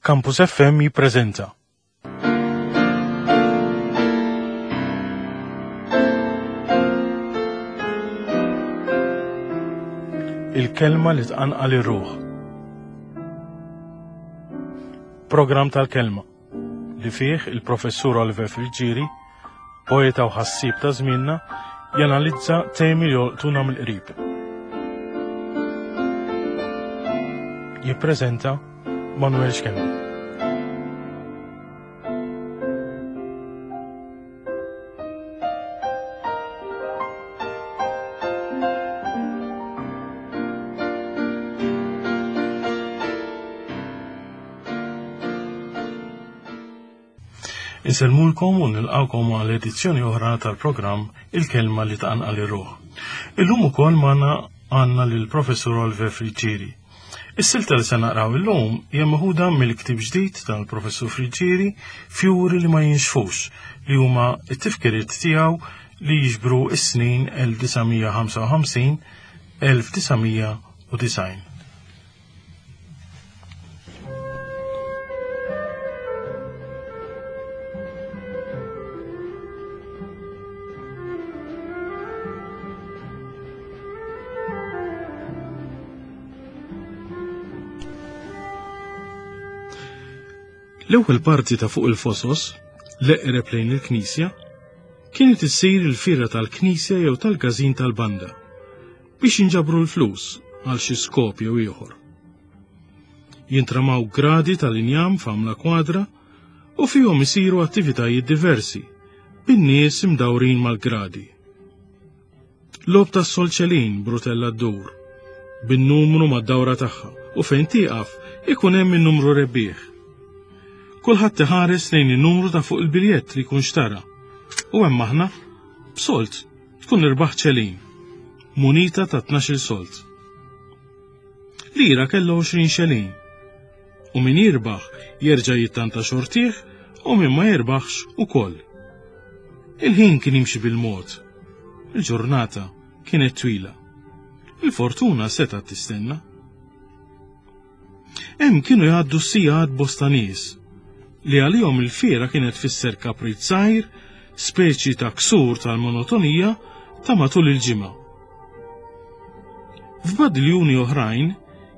Campus FM jippreżenta. Il-kelma li tqanqal ir-ruħ. Programm tal-kelma li fih il-professur Oliver Friggieri, poeta u ħassieb ta' żmienna, janalizza temi li jolqtuna mill-qrib. Jippreżenta Manuel Schembri. Insellmulkom u nilqawkom għal edizzjoni oħra tal-programm Il-Kelma li tqanqal ir-ruħ. Illum ukoll magħna għandna lill-Professur Oliver Friggieri. Is-silta li se naqraw illum hija meħuda mill-ktieb ġdid tal-Professur Friggieri Fjuri li ma jinxfux li huma t-tifkiriet tiegħu li jiġbru s-snin 1955 1990. L-ewwel parti ta' fuq il-fosos, l-eqreb lejn il-knisja, kienet issir il-fiera tal-knisja jew tal-każin tal-banda. biex jinġabru l-flus għal xi skop jew ieħor. Jintramaw gradi tal-injam f'għamla kwadra u fihom isiru attivitajiet diversi bin-nies imdawrin mal-gradi. Lob tas solċelin brutella ddur bin-numru mad-dawra tagħha u fejn tieqaf ikun hemm in-numru rebbieħ. Kulħadd iħares lejn in-numru ta' fuq il-biljett li jkun xtara. U hemm aħna b'solt tkun irbaħt ċelin, munita ta' 12 solt. Lira kellha 20 xelin. U min jirbaħ jerġa' jittanta xortih u min ma jirbaħx ukoll. Il-ħin kien jimxi bil-mod. Il-ġurnata kienet twila. Il-fortuna setgħet tistenna. Hemm kienu jgħaddu s-sigħat bosta nies li għalihom il-fiera kienet tfisser kaprit żgħir, speċi ta' ksur tal-monotonija ta' matul il-ġimgħa. F'badiljuni oħrajn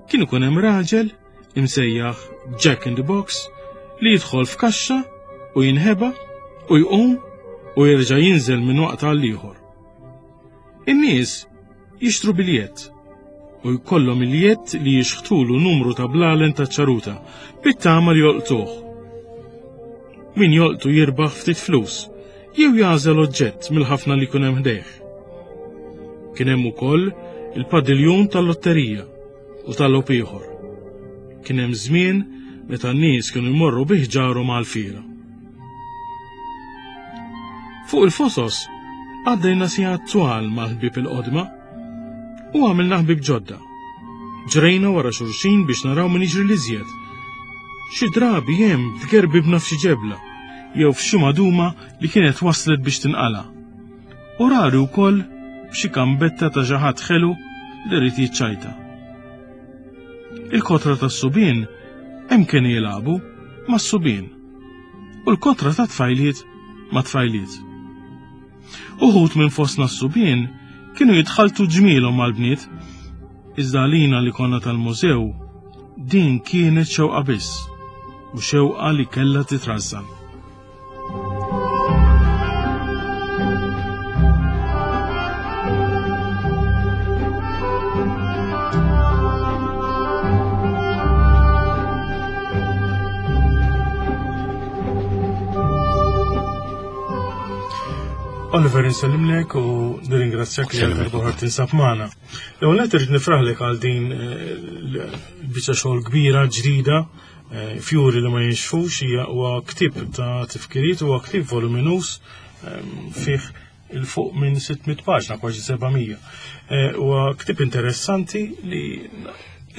kien ikun hemm raġel imsejjaħ Jack in the Box li jidħol f'kaxxa u jinħeba u jqum u jerġa' jinżel minn waqt għal ieħor. In-nies jixtru biljett u jkollhom il-jedd li jixħtulu numru ta' blalen ta' ċaruta bit-tama li jolqtuh. Min jolqtu jirbaħ ftit flus jew jagħżel oġġett mill-ħafna li jkun hemm ħdejh. Kien hemm ukoll il-padiljun tal-lotterija u tal-logħob ieħor. Kien hemm żmien meta n-nies kienu jmorru bi ħġarhom għall-fiera. Fuq il-fosos għaddejna sigħat twal mal-ħbieb il-qodma u għamilna ħbieb ġodda. Ġrejna wara xulxin biex naraw min jiġri l-iżjed. Xi drabi hemm tgerbibna f'xi ġebla jew f'xi maduma li kienet waslet biex tinqala. U rari wkoll b'xi kambetta ta' xi ħadd ħelu li rrid jiċċajta. Il-kotra tas-subien hemm kienu jilagħbu mas-subien u l-kotra ta' tfajliet ma' tfajliet. Uħud minn fostna s-subien kienu jitħaltu ġmielhom mal-bniet, iżda għalina li konna tal-mużew din kienet xewqa biss u xewqa li kellha titrażżan. Oliver insellimlek u nirringrazzjak li għal darba tinsab magħna. L-ewwel qed irid nifraħlek għal din eh, l-biċċa xogħol kbira ġdida eh, fjuri li ma jinxfux hija huwa ktieb ta' tifkiriet huwa ktieb voluminus eh, fih il-fuq minn 600 paġna, kważi 700. Eh, huwa ktieb interessanti li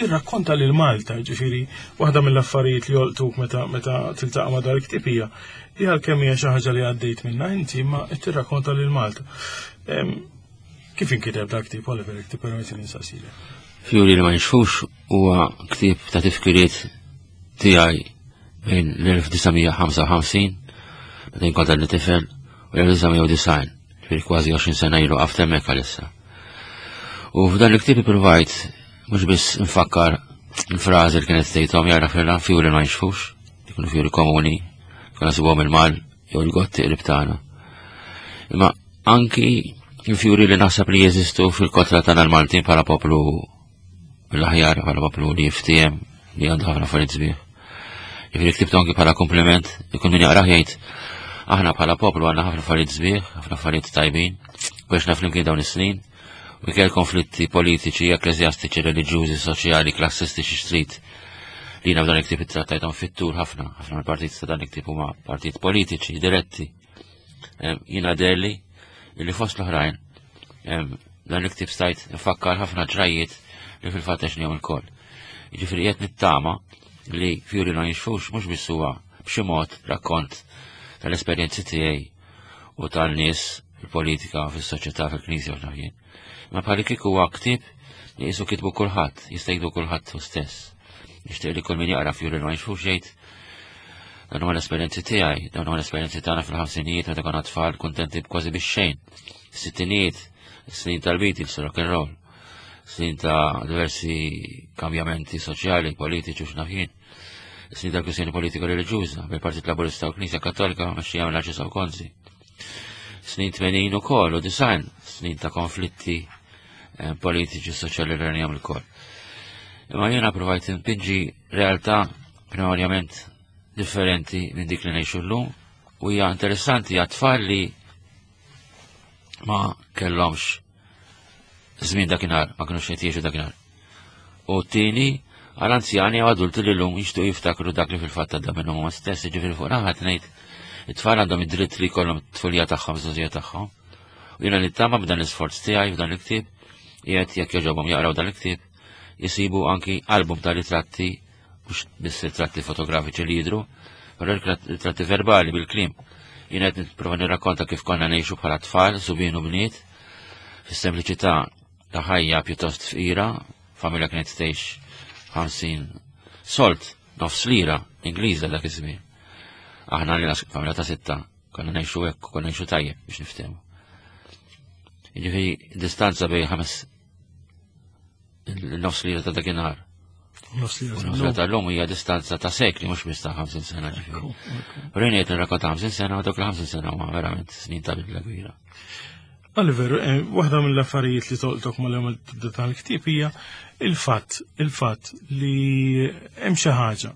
jirrakkonta lil Malta, ġifieri waħda mill-affarijiet li jolqtuk meta meta tiltaqa' ma' dal-ktieb hija li għalkemm hija xi ħaġa li għaddejt minnha inti ma qed tirrakkonta lil Malta. Kif inkiteb dak ktieb Oliver, jekk tippermetti li nsaqsilek? Fjuri li ma nixfux huwa ktieb ta' tifkiriet tiegħi. bejn l-1955 meta jien kont għadni tifel u l-1990, ġifieri kważi 20 sena ilu qaft hemmhekk għalissa. U f'dan il-ktieb ippruvajt mhux biss nfakkar il-frażi li kienet tgħidhom jara fil fjuri ma jxfux, jkunu fjuri komuni, konna nsibuhom il-mal jew il-gotti qrib tagħna. Imma anki il-fjuri li naħseb li jeżistu fil-kotra tagħna l-Maltin bħala poplu l-aħjar bħala poplu li jiftiem li għandu ħafna affarijiet sbieħ. Jiġifieri ktibtu anki bħala kompliment, ikun min jaqrah jgħid aħna bħala poplu għandna ħafna affarijiet sbieħ, ħafna affarijiet tajbin, u għexna flimkien dawn is-snin, u kell konflitti politiċi, ekkleżjastiċi, reliġjużi, soċjali, klassistiċi xtrid li jiena f'dan il-ktieb ittrattajthom fit-tul ħafna, ħafna mill-partit ta' dan il-ktieb huma partit politiċi diretti. Jiena derli li fost l-oħrajn dan il-ktieb stajt nfakkar ħafna ġrajiet li fil-fatt għexnihom ilkoll. Jiġifieri qed nittama li Fjuri ma jinxfux mhux biss huwa b'xi mod rakkont tal-esperjenzi tiegħi u tal-nies fil-politika, fis-soċjetà, fil-knisja u x'naf jien. Ma bħali kieku huwa ktieb li qisu kitbu kulħadd, jista' jiktbu kulħadd hu stess. Nixtieq li kull min jaqra Fjuri ma jinxfux jgħid dan huma l-esperjenzi tiegħi, dawn huma l-esperjenzi tagħna fil-ħamsinijiet meta konna tfal kuntenti kważi bix-xejn. Sittinijiet, snin tal-Beatles, rock and roll, snin ta' diversi kambjamenti soċjali, politiċi u x'naf jien. Snin ta' kwistjoni politika reliġjuża bil-Partit Laburista u Knisja Kattolika mexxija mill-Arċisqof Gonzi. Snin 80 ukoll u design, snin ta' konflitti eh, politiċi soċjali li rnijom il-koll. Imma jiena provajt npinġi realtà primarjament differenti minn dik li ngħixu llum u hija interessanti għat-tfal li ma kellhomx żmien dakinhar, ma kinux qed jgħixu dakinhar. U t-tieni għal anzjani u adulti li llum jixtuq jiftakru dak li fil-fatt għadda minnhom huma stess, jiġifieri fuq naħa ngħid it-tfal għandhom id-dritt li jkollhom t-tfulija tagħhom, żgħożija tagħhom. U jiena nittama b'dan l-isforz tiegħi f'dan il-ktieb, qiegħed jekk jogħġobhom jaqraw dan il-ktieb, jisibu anki album ta' ritratti mhux biss ritratti fotografiċi li jidhru, però ritratti verbali bil-kliem. Jien qed nipprova nirrakkonta kif konna ngħixu bħala tfal, subien u bniet, fis-sempliċità ta' ħajja pjuttost fqira, familja kienet tgħix 50 solt, nofs lira Ingliża dak iż-żmien. Aħna li familja ta' sitta, konna ngħixu hekk, konna ngħixu tajjeb biex niftehmu. Jiġifieri distanza bejn ħames il-nofs lira ta' dakinhar. Nofs lira tal-lum hija distanza ta' sekli mhux biss ta' 50 sena ġifieri. Però jien qed nirrakkonta 50 sena u dawk il-50 sena huma verament snin ta' bidla kbira. Oliver, eh, waħda mill-affarijiet li tolqtok mal-ewwel tibda tal-ktieb hija il-fatt, il-fatt li hemm xi ħaġa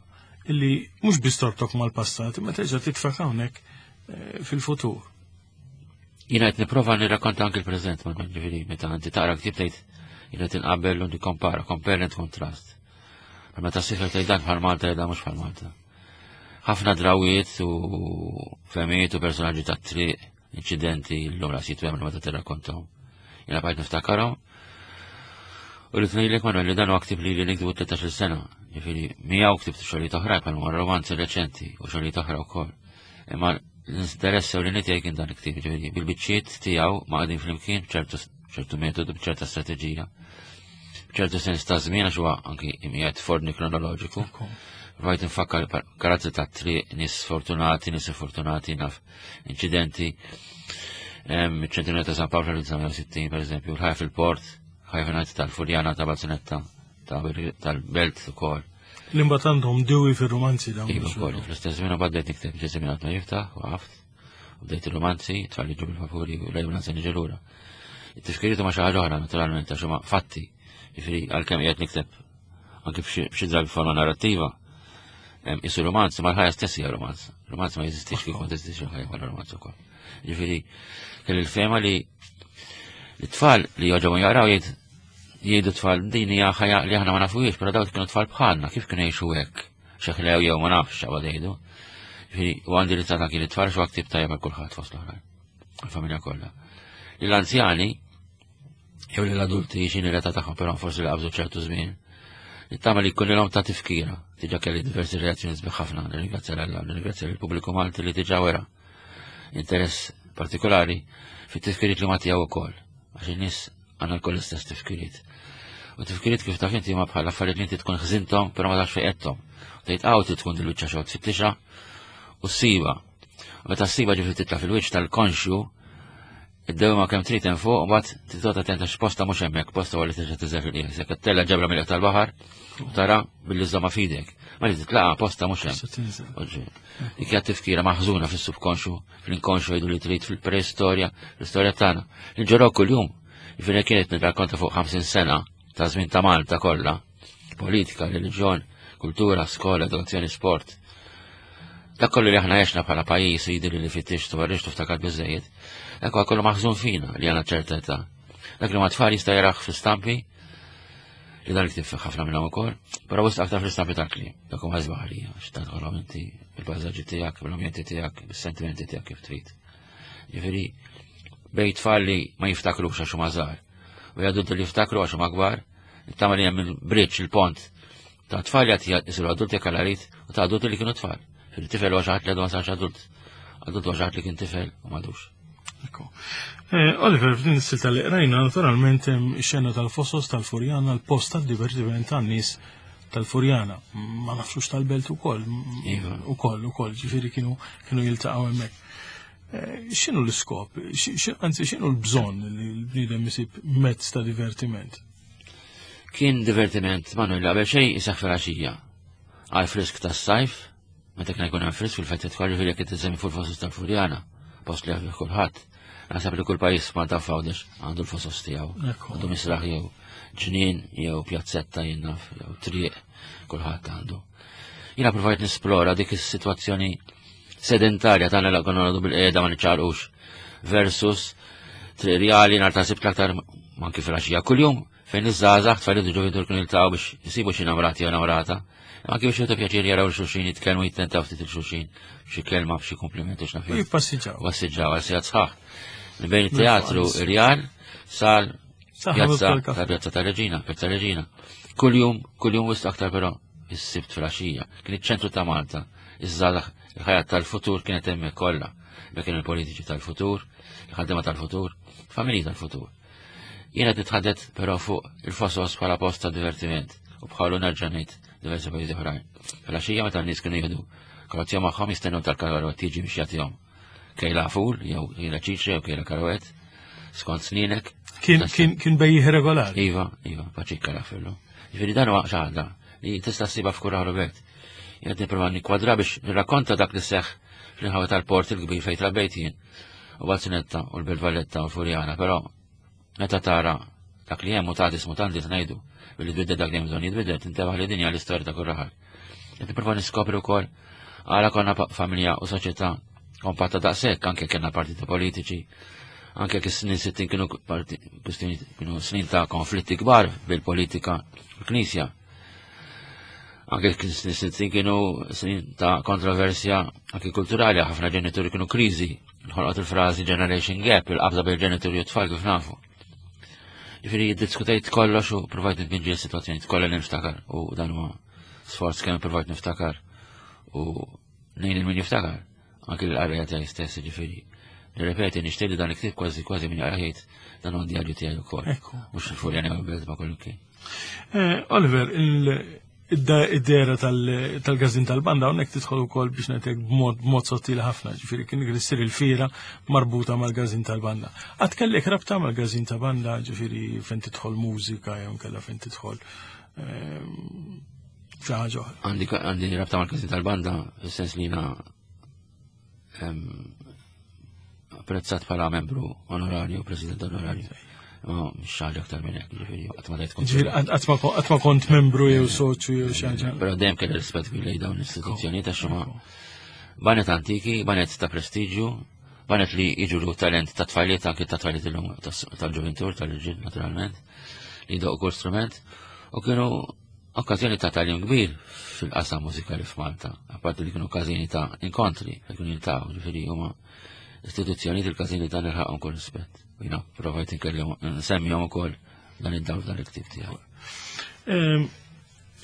li mhux biss torbtok mal-passat, imma terġa' titfak hawnhekk eh, fil-futur. Jiena qed nipprova nirrakkonta anki l-preżent ma ġifieri meta inti taqra ktieb tgħid jiena qed inqabel u nikkompara, compare and contrast. Ma meta ssifel tgħid dan bħal Malta jgħid mhux bħal Malta. Ħafna drawiet u femijiet u personaġġi tat-triq, inċidenti l-lum ras jitwemlu meta tirrakkontahom. Jiena bqajt niftakarhom. U li tnejlek Manuel li dan huwa ktib li li niktibu 13 sena. Ġifieri miegħu ktibt xogħlijiet oħra bħal romanzi reċenti u xogħlijiet oħra wkoll. Imma l-interess ewlieni tiegħi kien dan il-ktieb, ġifieri bil-biċċiet tiegħu ma qegħdin flimkien b'ċertu ċertu metodu, b'ċerta strateġija, b'ċertu sens ta' żmien għax huwa anki imqiegħed f'ordni kronoloġiku. Rajt nfakkar karattri ta' triq, nies fortunati, nies fortunati, naf inċidenti. Ċentinju ta' San Pawl fl-1960, per eżempju, l-ħajja fil-port, ħajja fil tal-Furjana ta' Balzunetta, tal-Belt ukoll. L-imbat għandhom diwi fir-romanzi dawn. Iva wkoll, fl-istess żmien bdejt nikteb ġeżi minn ma jiftaħ, waqaft, u bdejt il-romanzi, tfal jiġu bil-vapuri u lejn se niġi lura. It-tifkiriet huma xi ħaġa oħra naturalment għax huma fatti, jiġifieri għalkemm qiegħed nikteb anke f'xi drabi forma narrattiva, isu romanz, ma l-ħajja stess hija romanz. Romanz ma jeżistix kif ma teżistix il-ħajja bħala romanz ukoll. Jiġifieri kelli l-fema li t-tfal li joġgħu jaqraw jgħid Jgħidu tfal din hija ħajja li aħna ma nafuhiex, però dawk kienu tfal bħalna, kif kienu jgħixu hekk? Xeħlew jew ma nafx x'għad jgħidu. Ġifieri u għandi li tagħna kien it-tfal xi ktib tajjeb għal kulħadd fost l-oħrajn. Il-familja kollha. L-anzjani jew l-adulti x'inhi l-età tagħhom però forsi li qabżu ċertu żmien. Nittama li jkun ilhom ta' tifkira. Diġà kelli diversi reazzjoni sbieħ ħafna, nirringrazzja l-Alla, nirringrazzja l-pubbliku Malti li diġà wera interess partikolari fit-tifkiriet li ma tiegħu wkoll. Għax in-nies għandna lkoll l-istess tifkiriet. U tifkiriet kif taf inti huma bħal affarijiet li inti tkun ħżinthom però ma tafx fejn qedthom. Tgħid hawn trid tkun dil-biċċa xogħol tfittixha u ssiba. U meta ssiba ġifieri titla' fil-wiċċ tal-konxju id-dewma kemm trid hemm fuq, mbagħad titgħod attent għax posta mhux hemmhekk, posta huwa li terġa' tiżel fil-qiegħ. Jekk tella ġabra mill tal-baħar, tara billi żomma f'idek. Ma li titlaqa posta mhux hemm. Dik hija tifkira maħżuna fis-subkonxu, fl-inkonxu jgħidu li trid fil-preistorja, l-istorja tagħna. Nġorok kuljum. Jiġifieri kienet nirrakkonta fuq 50 sena ta' żmien ta' Malta kollha, politika, reliġjon, kultura, skola, edukazzjoni, sport. Dak kollu li aħna għexna bħala pajjiż jidher li fittix twarrix tiftakar biżejjed. Dak huwa kollu maħżun fina li għandna ċerta età. Dak li ma tfal jista' jaraħ fl-istampi li dan li ħafna minnhom ukoll, però wisq aktar fl-istampi tal-kliem. Dak huma żbaħli, x'tant tħollhom inti bil-pajsaġġi tiegħek, bil-ambjenti tiegħek, bis-sentimenti tiegħek kif trid. Ġifieri bejn tfal li ma jiftakrux għax huma żgħar u jgħaddu li jiftakru għax huma kbar, nittama li hemm il-bridge, il-pont ta' tfal li għad jisiru adulti jekk għal u ta' adulti li kienu tfal. Fil-tifel huwa xi ħadd li għadu ma sarx adult. Adult huwa xi ħadd li kien tifel u m'għadux. Eh, Oliver, f'din is-silta li qrajna, naturalment hemm xena tal-fosos tal-Furjana, l-post tad-divertiment tan-nies tal-Furjana. Ma nafxux tal-belt ukoll. Iva. Ukoll, ukoll, ġifieri kienu kienu jiltaqgħu hemmhekk. Eh, x'inhu l-iskop? Anzi, x'inhu l-bżonn li l-bniedem isib mezz ta' divertiment? Kien divertiment, Manuel, qabel xejn isaħ filgħaxija. Għal frisk tas-sajf, meta kien jkun hemm frisk fil-fettet kollu ġifieri jekk tisemmi fuq il-fosos tal-Furjana, post li għafih kulħadd. Naħseb li kull pajjiż Malta f'Għawdex għandu l-fosos tiegħu. Għandu misraħ jew ġnien jew pjazzetta jien naf jew triq kulħadd għandu. Jiena provajt nisplora dik is-sitwazzjoni sedentarja tagħna li konna nagħdu bil-qiegħda ma niċċaqlqux versus triq rjali nhar ta' sibt l-aktar manki fil-għaxija kuljum fejn iż-żgħażagħ tfal ġovintur kienu jiltaqgħu biex isibu xi namrati jew namrata. Anki biex jieħdu pjaċir jaraw xulxin jitkellmu jittentaw ftit il-xulxin b'xi kelma b'xi kompliment u x'naf. Jippassiġġaw. Passiġġaw għal sigħat sħaħ. Bejn it-teatru Rjal sal pjazza ta' pjazza ta' Reġina, pjazza Reġina. Kuljum, kuljum wisq aktar però is-sibt fil-għaxija. Kien iċ-ċentru ta' Malta. Iż-żgħażagħ il-ħajja tal-futur kienet hemmhekk kollha. Dak kienu l-politiċi tal-futur, il-ħaddiema tal-futur, familji tal-futur. Jiena qed nitħaddet però fuq il-fosos bħala post ta' divertiment u bħalu nerġa' ngħid diversi pajjiżi oħrajn. Filgħaxija meta n-nies kienu jieħdu kolazzjon magħhom jistennew tal-karwet tiġi biex jagħtihom kejla ful jew kejla ċiċri jew kejla karwet skont sninek. Kien kien kien bejjih regolari. Iva, iva, paċikka rafillu. Ġifieri dan huwa xi ħaġa li tista' ssibha f'kull raħlu belt. Jien qed nipprova nikkwadra biex nirrakkonta dak li seħħ fl-inħawi tal-port il-kbir fejn trabbejt jien. U Balzunetta u l-Belt Valletta u l-Furjana, però meta tara dak li hemm mutatis mutandis ngħidu billi tbiddel dak li hemm bżonn jitbiddel tintebaħ li dinja l-istorja ta' kull raħal. Qed nipprova niskopri wkoll għala konna familja u soċjetà kompatta daqshekk anke kellna partiti politiċi, anke kif snin 60 kienu kienu snin ta' konflitti kbar bil-politika u l-Knisja. Anke kien snin 60 kienu snin ta' kontroversja anke kulturali, ħafna ġenituri kienu kriżi, nħolqot il-frażi generation gap, il-qabża bejn ġenituri u tfal kif nafu. Ġifieri jiddiskutejt kollox u provajt nitpinġi s-sitwazzjoni kollha li niftakar u dan huwa sforz kemm provajt niftakar u ngħin il min jiftakar anke l-qarrejja tiegħi stess ġifieri. Nirrepeti, nixtieq li dan il-ktieb kważi kważi min jaqra jgħid dan huwa djarju tiegħi wkoll. Mhux il-Furjana jew il-belt ma kollu kien. Eh, Oliver, id-dera tal-gazin tal-banda hawnhekk tidħol ukoll biex ngħidlek b'mod sottili ħafna, ġifieri kien issir il-fira marbuta mal-gazin tal-banda. Qatt kellek rabta mal-gazin ta' banda, ġifieri fejn tidħol mużika jew kellha fejn tidħol ehm, xi ħaġa oħra. Għandi rabta mal-gazin tal-banda, fis-sens li jiena apprezzat bħala membru onorarju, president onorarju. Ma mhux ħaġa aktar minn hekk, ġifieri qatt ma tajt kont. Ġifieri qatt ma kont membru jew soċju jew xi ħaġa. Però dejjem kelli rispett kbir lejn dawn l-istituzzjonijiet għax huma banet antiki, banet ta' prestiġju, banet li jiġu talent ta' tfajliet anke ta' tfajliet illum tal-ġuventur, tal-irġiel naturalment, li jdoqqu kull strument u kienu Okkażjoni ta' tagħlim kbir fil-qasam mużikali f'Malta, apparti li kienu każini ta' inkontri, fejn kienu jiltaqgħu, ġifieri huma istituzzjonijiet il-każini ta' nilħaqhom kull rispett. U jiena provajt inkellem nsemmihom ukoll dan id-dawl dan il-ktib tiegħu. Ehm,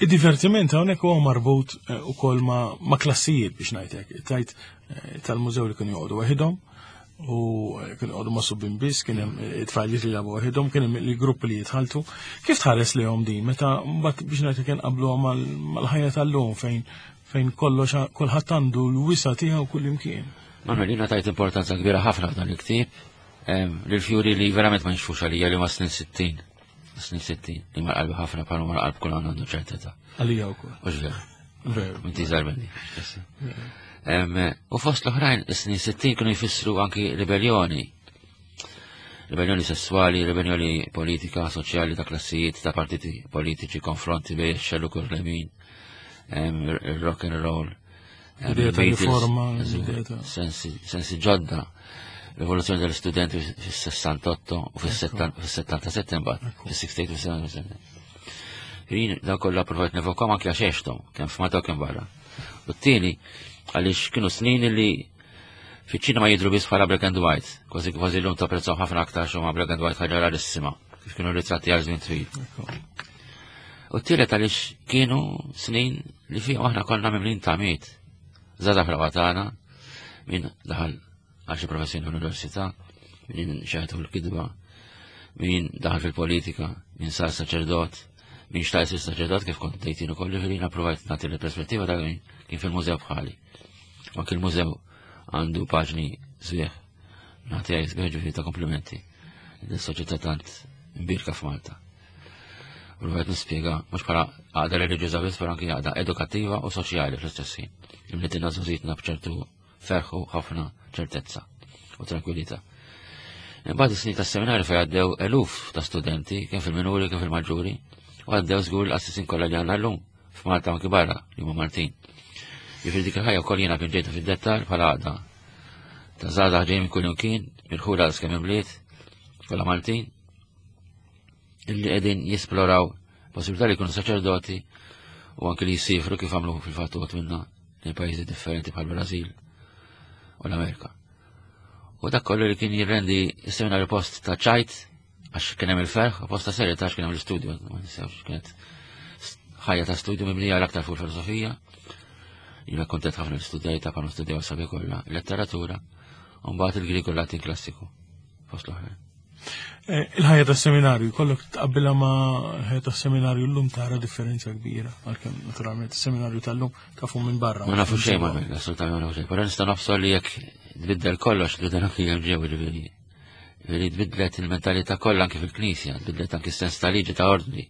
id-divertiment hawnhekk huwa marbut eh, ukoll ma' klassijiet biex ngħidlek. Tajt eh, tal-mużew li kienu joqogħdu waħidhom. U kienu għadu ma' subbin biss, kien hemm it-tfajliet li jilagħbu waħedhom, kien hemm il-gruppi li jitħaltu. Kif tħares lejhom din meta mbagħad biex ngħid kien qablu mal-ħajja tal-lum fejn fejn kollox kulħadd għandu l-wisa tiegħu kull imkien. Manuel, jiena tajt importanza kbira ħafna f'dan il-ktieb lil-fjuri li verament ma nixfux għalija li ma snin 60. Snin 60, li ma qalbi ħafna bħal ma qalb kull għandu ċertezza. Għalija wkoll. Mhux veru. Veru. Inti żgħar minni. U fost l-oħrajn, is-snin 60 kienu jfissru anki ribellioni. Ribellioni sessuali, ribellioni politika, soċjali ta' klassijiet, ta' partiti politiċi, konfronti bej xellu kull lemin, il-rock and roll. Ideja ta' riforma, sensi ġodda, rivoluzzjoni tal-istudenti fis-68 u fis-77 mbagħad, fis-68 u fis-77. Jien daw kollha provajt nevokom anke għax għexthom, kemm f'Malta u kemm barra. U t-tieni għaliex kienu snin li fiċ-ċinema jidhru biss bħala black and white, kważi kważi llum tapprezzaw ħafna aktar x'huma black and white ħaġa rarissima, kif kienu ritratti għal żmien twil. U t-tielet għaliex kienu snin li fihom aħna konna mimlin tamiet. Żgħażagħ fl tagħna, min daħal għal xi professjoni fl-università, min xeħtu fil-kidba, min daħal fil-politika, min sar saċerdot, min xtaq isir saċerdot kif kont tgħid ukoll li jiena provajt nagħti l-perspettiva ta' min kien fil-mużew bħali. U anke l-mużew għandu paġni sbieħ, nagħti għaj sbieħ ġifieri ta' komplimenti. Is-soċjetà tant mbirka f'Malta. Provajt nispjega mhux bħala għaqda reliġjuża biss, però anke għaqda edukattiva u soċjali fl-istess ħin. Imlitilna żgħożitna b'ċertu ferħ u ħafna ċertezza u tranquillità. Imbagħad is-snin tas-seminarju fejn għaddew eluf ta' studenti, kemm fil-minuri kemm fil-maġġuri, u għaddew żgur l-qassisin kollha li għandna llum f'Malta anki barra li huma Maltin. Jiġifieri dik il-ħajja wkoll jiena kien ġejta fid-dettall bħala għaqda ta' żgħażagħ ġejjin minn kull imkien, mirħula kemm imbliet, kollha Maltin, illi qegħdin jisploraw possibilità li jkunu saċerdoti u anki li jisifru kif għamlu fil-fatt uħud minna lejn pajjiżi differenti bħal Brażil u l-Amerika. U dak kollu li kien jirrendi s-seminarju post ta' ċajt għax kien hemm il-ferħ u post ta' serjetà għax kien hemm l-istudju, ma ninsewx kienet ħajja ta' studju mibnija l-aktar fuq filosofija. Jiena kontent ħafna l-istudjajta bħal studjaw sabi kollha, letteratura, u mbagħad il-Grieg u l-Latin klassiku fost l-oħrajn. Eh, il-ħajja tas seminarju, kollok tqabbilha ma' ħajja tas seminarju llum tara differenza kbira, għalkemm naturalment is-seminarju tal-lum tafu minn barra. Ma nafu xejn ma assolutament ma nafu xejn, però nista' nafsu li jekk tbiddel kollox, tbiddel anki hemm ġew ġifieri. Ġifieri tbiddlet il-mentalità kollha anki fil-Knisja, tbiddlet anki s-sens ta' liġi ta' ordni.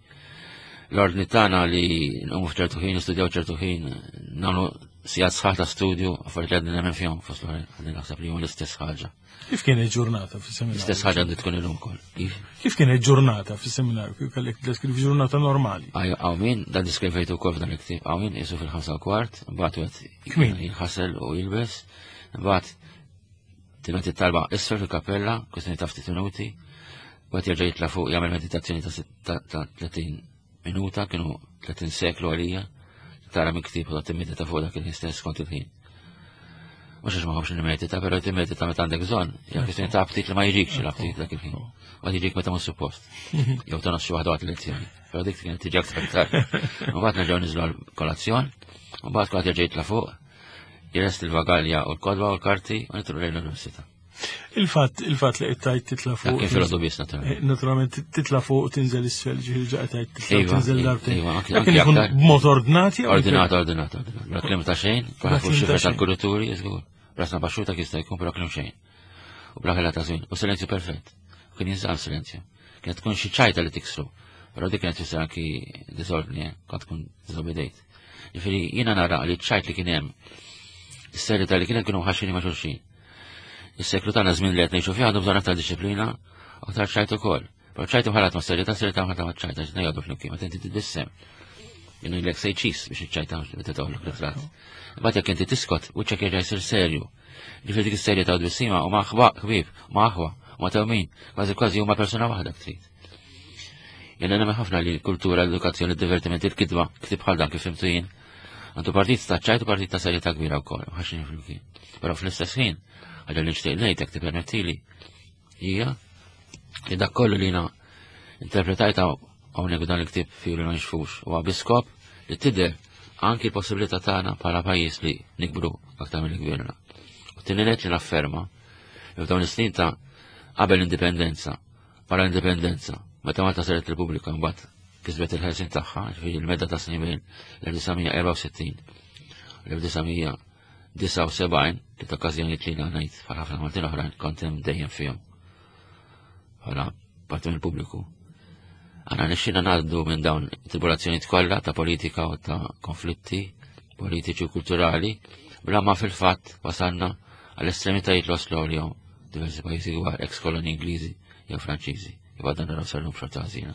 L-ordni tagħna li nqumu f'ċertu ħin, nistudjaw ċertu ħin, nagħmlu sigħat sħaħ ta' studju, affarijiet li għadni nemmen fihom fost l-oħrajn, għadni naħseb li huma l-istess ħaġa. Kif kienet ġurnata fis-seminarju? L-istess ħaġa għandu tkun illum ukoll. Kif? Kif kienet ġurnata fis-seminarju? Kif kellek deskrivi ġurnata normali? Għaw min, dan diskrivejtu wkoll f'dan il-ktieb, għaw min isu fil-5:15, mbagħad wieħed jinħasel u jilbes, mbagħad tingħati t-talba isfel fil-kappella, kwestjoni ta' ftit minuti, mbagħad jerġa' jitla' fuq jagħmel meditazzjoni ta' 30 minuta, kienu 30 seklu għalija, tara minn ktieb u timmedita fuq dak il-ħin stess kont il-ħin. Mhux għax ma ħobx nimmedita, però timmedita meta għandek bżonn, hija kwestjoni ta' aptit li ma jiġikx l-aptit dak il-ħin. Ma jiġik meta mhux suppost. Jew tonqos xi waħda waqt lezzjoni. Però dik kienet tiġi aktar tard. Mbagħad nerġgħu niżlu għall-kolazzjon, mbagħad kulħadd jerġa' jitla' fuq, jirest il-vagalja u l-kodba u l-karti u nitlu lejn l-università. Il-fatt il-fatt li qed tgħid titla' fuq. Kif filgħodu biss naturalment. Eh, naturalment titla' fuq u tinżel isfel ġifieri ġa qed tgħid titla' iva, tinżel darbtejn. Iva, anke ikun b'mod ordnati. Ordinat, ordinat, ordinat. Bla kliem ta' xejn, bla fuq xifer tal-kurituri, żgur. Rasna baxxuta jista' jkun bla kliem xejn. U bla ħela ta' żmien. U silenzju perfett. Kien jinżamm silenzju. Kienet tkun xi ċajta li tiksru. Però dik kienet tfisser anki disordni, eh, kont tkun diżobedejt. Ġifieri jiena nara li ċajt li kien hemm is-serjetà li kien hemm kienu ħaxini ma' xulxin. Is-seklu tagħna żmien li qed ngħixu fih għandu bżonn aktar disċiplina, aktar ċajt ukoll. Però ċajt imħallat ma' serjetà, serjetà mħallat ma' ċajt, għax ngħidu flimkien, meta inti titbissem. Jien ilek sej ċis biex iċ-ċajta meta toħloq ritratt. Imbagħad jekk inti tiskot, wiċċek jerġa' jsir serju. Ġifieri dik is-serjetà u tbissima huma ħbieb, huma aħwa, huma tewmin, kważi kważi huma persuna waħda trid. Jena nemmen ħafna li l-kultura, l-edukazzjoni, il-divertiment, il-kidba, ktib bħal dan kif fimtu jien, għandu partit ta' ċajt u partit ta' serjetà kbira wkoll, ħaxin flimkien. Però fl-istess ħin, ħaġa li nixtieq ngħid jekk tippermettili, hija li dak kollu li jiena interpretajta hawnhekk dan il-ktieb fjuri ma nixfux huwa biskop li tidher anki l-possibilità tagħna bħala pajjiż li nikbru aktar milli kbirna. U tieni li nafferma. F'dawn is-snin ta' qabel l-indipendenza, wara l-indipendenza, meta Malta saret Repubblika mbagħad kisbet il-ħelsin tagħha, ġifieri l-medda ta' snin bejn l-1964 l-1979 li ta' okkażjonijiet li ngħid bħal ħafna Maltin oħrajn kont hemm dejjem fihom. Bħala parti mill-pubbliku. Għana nixxina ngħaddu minn dawn tribulazzjonijiet kollha ta' politika u ta' konflitti politiċi u kulturali bla ma fil-fatt wasalna għall-estremitajiet l-oslo li jom diversi pajjiżi kbar, ex koloni Ingliżi jew Franċiżi. Iva dan naraw sal-lum xorta ħażina.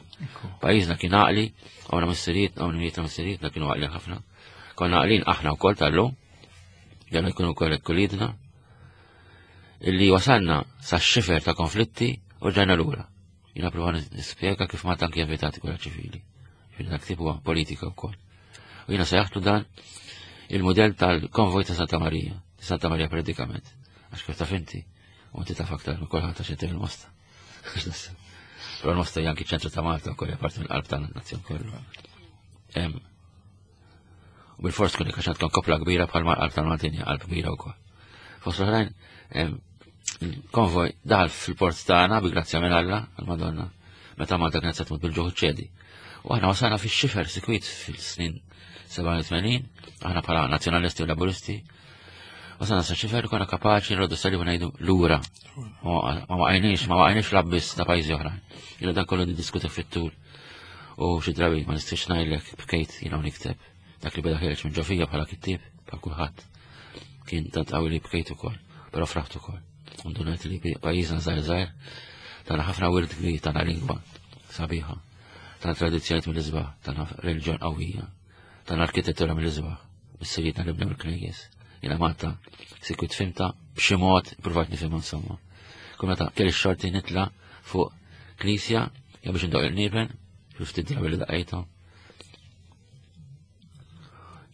Pajjiżna kien għaqli, għawna missiriet, għawna mijiet missirietna kienu għaqli ħafna. Konna għaqlin aħna wkoll tal-lum, jalla jkunu wkoll kulidna, illi wasalna sa xifer ta' konflitti u ġajna lura. Jina prova nispjega kif ma tanki evitati gwerra ċivili. Jina dak tip huwa politika wkoll. U jina sejjaħtu dan il-modell tal-konvoj ta' Santa Maria, Santa Maria predikament. Għax kif taf inti, u inti taf aktar minn kulħadd għax inti il-mosta. Però l-mosta hija anki ċentru ta' Malta wkoll hija parti mill-qalb tan-nazzjon kollu. U bil-fors tkun għax għandkom kopla kbira bħal qalb tal-Maltin hija qalb kbira wkoll. Fost l-oħrajn, konvoj daħal fil-port tagħna bi grazzja minn Alla, għal-Madonna, meta Malta kienet se tmut bil-ġuħ ċedi. U aħna wasalna fix-xifer sikwit fil-snin 87, aħna bħala nazzjonalisti u laburisti, wasalna sa xifer konna kapaċi nroddu salib u ngħidu lura. Ma waqajniex, ma waqajniex l-abbis ta' pajjiżi oħrajn. Jiena dan kollu niddiskuti fit-tul. U xi drabi ma nistax ngħidlek bkejt jiena nikteb dak li beda ħireġ minn ġofija bħala kittieb bħal kulħadd. Kien tant qawwi li bkejt ukoll, però fraħt ukoll. Ndunajt li pajjiżna żgħir żgħir tagħna ħafna wirt kbir tagħna lingwa sabiħa, tagħna tradizzjonijiet mill-isbaħ, tagħna reliġjon qawwija, tagħna arkitettura mill-isbaħ, missirietna li bnew il-knejjes. Jiena Malta sikwit fimta b'xi mod provajt nifhimha insomma. Kull meta kelli x-xorti nitla' fuq knisja jew biex indoq il-niben, ftit drabi li daqajthom.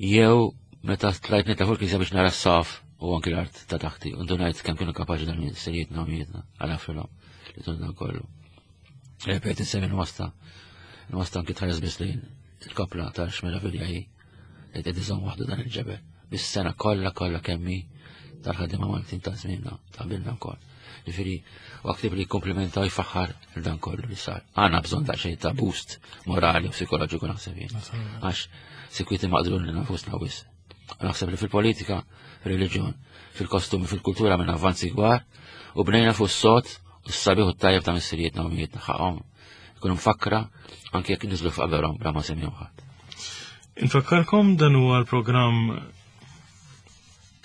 Jew meta tlajt nitla fuq il-knisja biex nara s-saf u anki l-art ta' taħti, u ndunajt kemm kienu kapaċi dan missirietna u mietna għal filhom li tunna kollu. Repet insemmi l-wasta, l-wasta anki tħares biss lejn il-kopla ta' xmeravilja hi li qed iżomm waħdu dan il-ġebel. Bis-sena kollha kollha kemmi tal-ħaddiema Maltin ta' żmienna ta' bilna wkoll. Ġifieri u ktib li jikkumplimenta u jfaħħar dan kollu li sar. Għandna bżonn daqsxejn ta' boost morali u psikoloġiku naħseb jien. Għax sikwiti maqdrun li nafusna wis. Naħseb li fil-politika, fil-reliġjon, fil-kostumi, fil-kultura minn avvanzi kbar u bnejna fuq s-sot u s-sabiħ u t-tajjeb ta' missirietna u mietna ħaqhom ikunu mfakkra anke jekk niżlu f'qaberhom bla ma semmihom ħadd. Infakkarkom dan huwa l-programm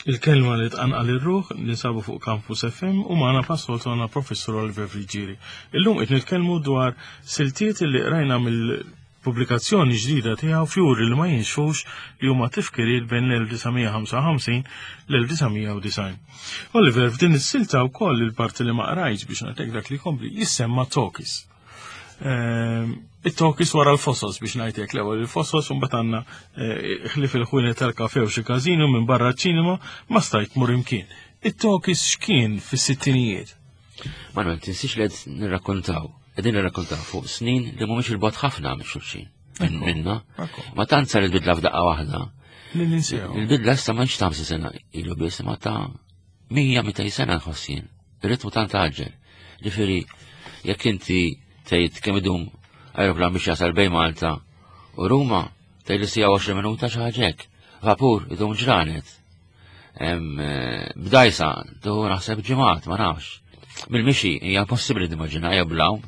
Il-kelma li tqanqal ir-ruħ li nsabu fuq Campus FM u magħna passoltu għandna Professur Oliver Friggieri. Illum qed nitkellmu dwar siltiet li qrajna mill-pubblikazzjoni ġdida tiegħu fjuri li ma jinxfux li huma tifkiriet bejn l-1955 l-1990. Oliver, f'din is-silta wkoll il-parti li ma qrajtx biex nagħtek dak li jkompli jissemma Tokis. It-tokis wara l-fosos biex ngħidlek l-ewwel il-fosos u mbagħad għandna eh, ħlif il-ħwienet tal-kafe u xi każinu minn barra ċ-ċinema ma stajt mur imkien. It-tokis x'kien fis-sittinijiet? Manuel, tinsiex li qed nirrakkontaw, qegħdin nirrakkontaw fuq snin li mhumiex il-bot ħafna minn xulxin. Minna. Ma tant sar il-bidla f'daqqa waħda. Il-bidla issa ma ta' sena ilu biss ma ta' 100 sena nħoss jien. Ir-ritmu tant għaġġel. Ġifieri, jekk inti tgħid kemm idum aeroplan biex jasal bejn Malta u Ruma, tgħid li sija 20 minuta xi ħaġa hekk. Vapur idum ġranet. Eh, b'dajsa, tuħu naħseb ġimgħat, ma nafx. Bil-mixi hija possibbli timmaġina hija blawm.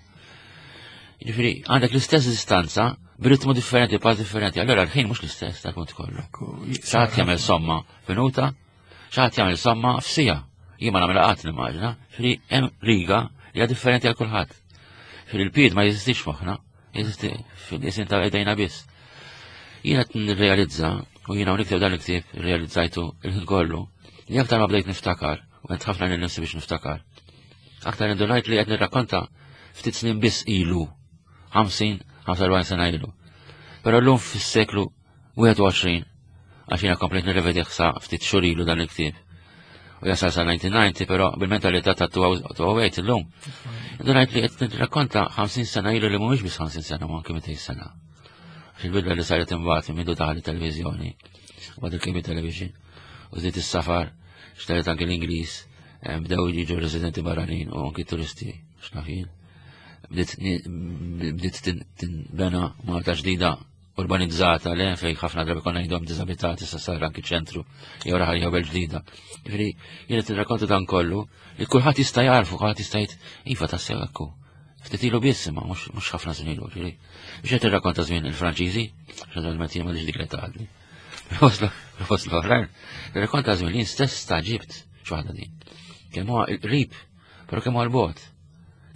Ġifieri, għandek l-istess distanza b'ritmu differenti, pass differenti. Allora l-ħin mhux l-istess tal-punt kollu. Saħat jagħmel somma minuta, ċaħat jagħmel somma f'sija. Jien ma nagħmel qatt nimmaġina, fri hemm riga li hija differenti għal kulħadd. Fil il-pied ma jeżistix moħħna, jeżisti fil-isin ta' idejna biss. Jiena qed nirrealizza u jiena nikteb dan il-ktieb realizzajtu il-ħin kollu li aktar ma bdejt niftakar u qed ħafna lil nifsi biex niftakar. Aktar indunajt li qed nirrakkonta ftit snin biss ilu, 50, 45 sena ilu. Però llum fis-seklu 21, għax jiena komplejt nirrevedih sa ftit xhur ilu dan il-ktieb. U jasal sa 1990, però bil-mentalità ta' 2008 illum. Ndunajt li qed nirrakkonta 50 sena ilu li mhumiex biss 50 sena, ma anke 200 sena. Għax il-bidla li saret imbagħad minn daħal it-televiżjoni, u il-cable television, u żdiet is-safar, xtaret anke l-Ingliż. Eh, bdew jiġu residenti barranin u anki turisti, x'naf jien. Bdiet tinbena Malta ġdida urbanizzata le fej ħafna drabi konna ngħidhom diżabitati sa sar anki ċentru jew raħal jew belt ġdida. Ġifieri jien qed nirrakkonta dan kollu li kulħadd jista' jarfu, kulħadd jista' jgħid iva tassew hekk hu. Ftit ilu biss imma mhux ħafna żmien ilu, ġifieri. Biex qed nirrakkonta żmien il-Franċiżi, naturalment jien m'għandix dik l-età għadni. Fost l-oħrajn, nirrakkonta żmien li jien stess staġibt x'waħda din. Kemm huwa qrib, però kemm huwa l-bogħod.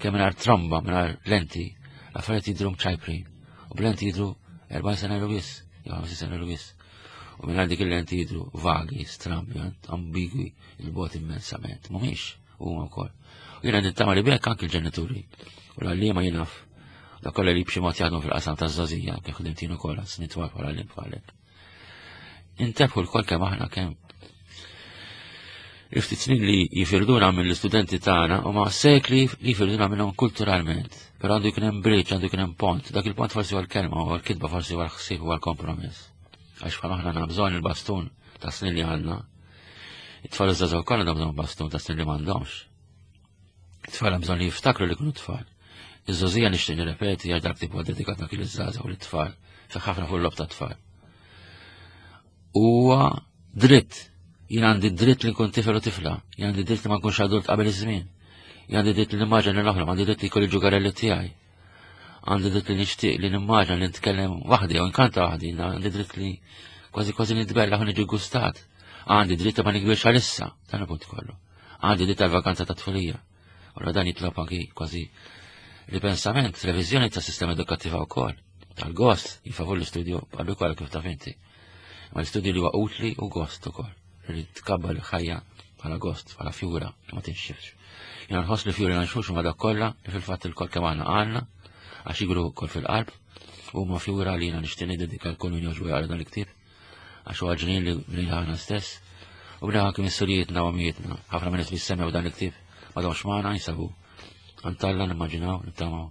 Kemm mingħajr tromba, mingħajr lenti, l-affarijiet jidhru mċajprin. U b'lenti jidhru 40 sena ilu biss, jew 50 sena ilu biss. U mingħajr dik il-lenti jidhru vagi, strambi, ambigwi, il-bogħod immensament. Mhumiex huma wkoll. U jiena nittama li bekk anki l-ġenituri u l-għalliema jinaf dak kollha li b'xi mod jaħdmu fil-qasam taż-żgħożija, kif ħdimtin ukoll snin twal bħala għalliem bħalek. Intebħu l-kol kemm aħna kemm il-ftit snin li jifirduna mill-istudenti tagħna huma sekli li jifirduna minnhom kulturalment. Però għandu jkun hemm bridge, għandu jkun hemm pont. Dak il-pont forsi huwa l-kelma, huwa l-kitba, forsi huwa l-ħsieb, huwa l-kompromess. Għax bħal aħna għandna bżonn il-bastun ta' snin li għandna. It-tfal iż-żgħażagħ ukoll għandhom bżonn bastun ta' snin li m'għandhomx. It-tfal hemm bżonn li jiftakru li kienu tfal. Iż-żgħożija nixtieq nirrepeti għax dak tip huwa dedikat anki liż-żgħażagħ u lit-tfal, fih ħafna fuq l-lob tat-tfal. Huwa dritt, jien għandi dritt li nkun tifel u tifla, jien għandi dritt li ma nkunx adult qabel iż-żmien, jien għandi dritt li nimmaġina li noħlom, għandi dritt li jkolli ġugarelli tiegħi. Għandi dritt li nixtieq li nimmaġina li nitkellem waħdi jew nkanta waħdi, għandi dritt li kważi kważi nitbella u niġi gustat. Għandi dritt li ma nikbirx għalissa, dan il-punt kollu. Għandi dritt għal-vakanza ta' tfulija. Ora dan jitlob anki kważi ripensament, reviżjoni ta' sistema edukattiva wkoll. Tal-gost, jifavur l-istudju għallu kollha kif taf inti. Ma l-istudju li huwa utli u gost ukoll. Li tkabbar il-ħajja bħala gost, bħala fjura, ma tinxifx. Jena nħoss li fjuri nanxux ma dak kollha li fil-fatt il-kol kemm għandna għandna, għax jigru kol fil-qalb, u ma fjura li jena nixtieq niddedika l-kull min jogħġbu jaqra dan il-ktieb għax huwa ġnien li bnejna aħna stess, u bnejna anki missirijietna u għamijietna. Ħafna minn nies li semmew dan il-ktieb m'għadhomx magħna jinsabu għand nimmaġinaw, nittamaw.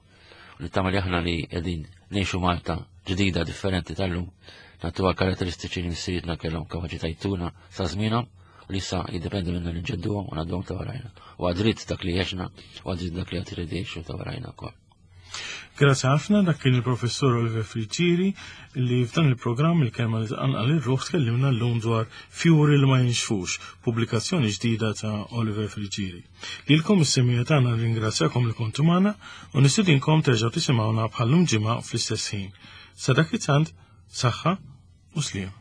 U nittama li aħna li qegħdin ngħixu Malta ġdida differenti tal-lum, nagħtuha karatteristiċi li missirijietna kellhom kapaċi tajtuna sa żmienhom u li issa jiddependi minna li nġedduhom u ngħadduhom ta' warajna. U għadritt dak li għexna u għadritt dak li għad irid jgħixu ta' warajna wkoll. Grazzi ħafna dak kien il-professur Oliver Friggieri li f'dan il-programm il-kelma li tqanqal ir-ruħ tkellimna llum dwar Fjuri li ma jinxfux, pubblikazzjoni ġdida ta' Oliver Friggieri. Lilkom is-semija tagħna nirringrazzjakom li kontu magħna u nistidinkom terġgħu tisimgħuna bħallum ġimgħa fl-istess ħin. Sa dak it-tant, saħħa u sliem.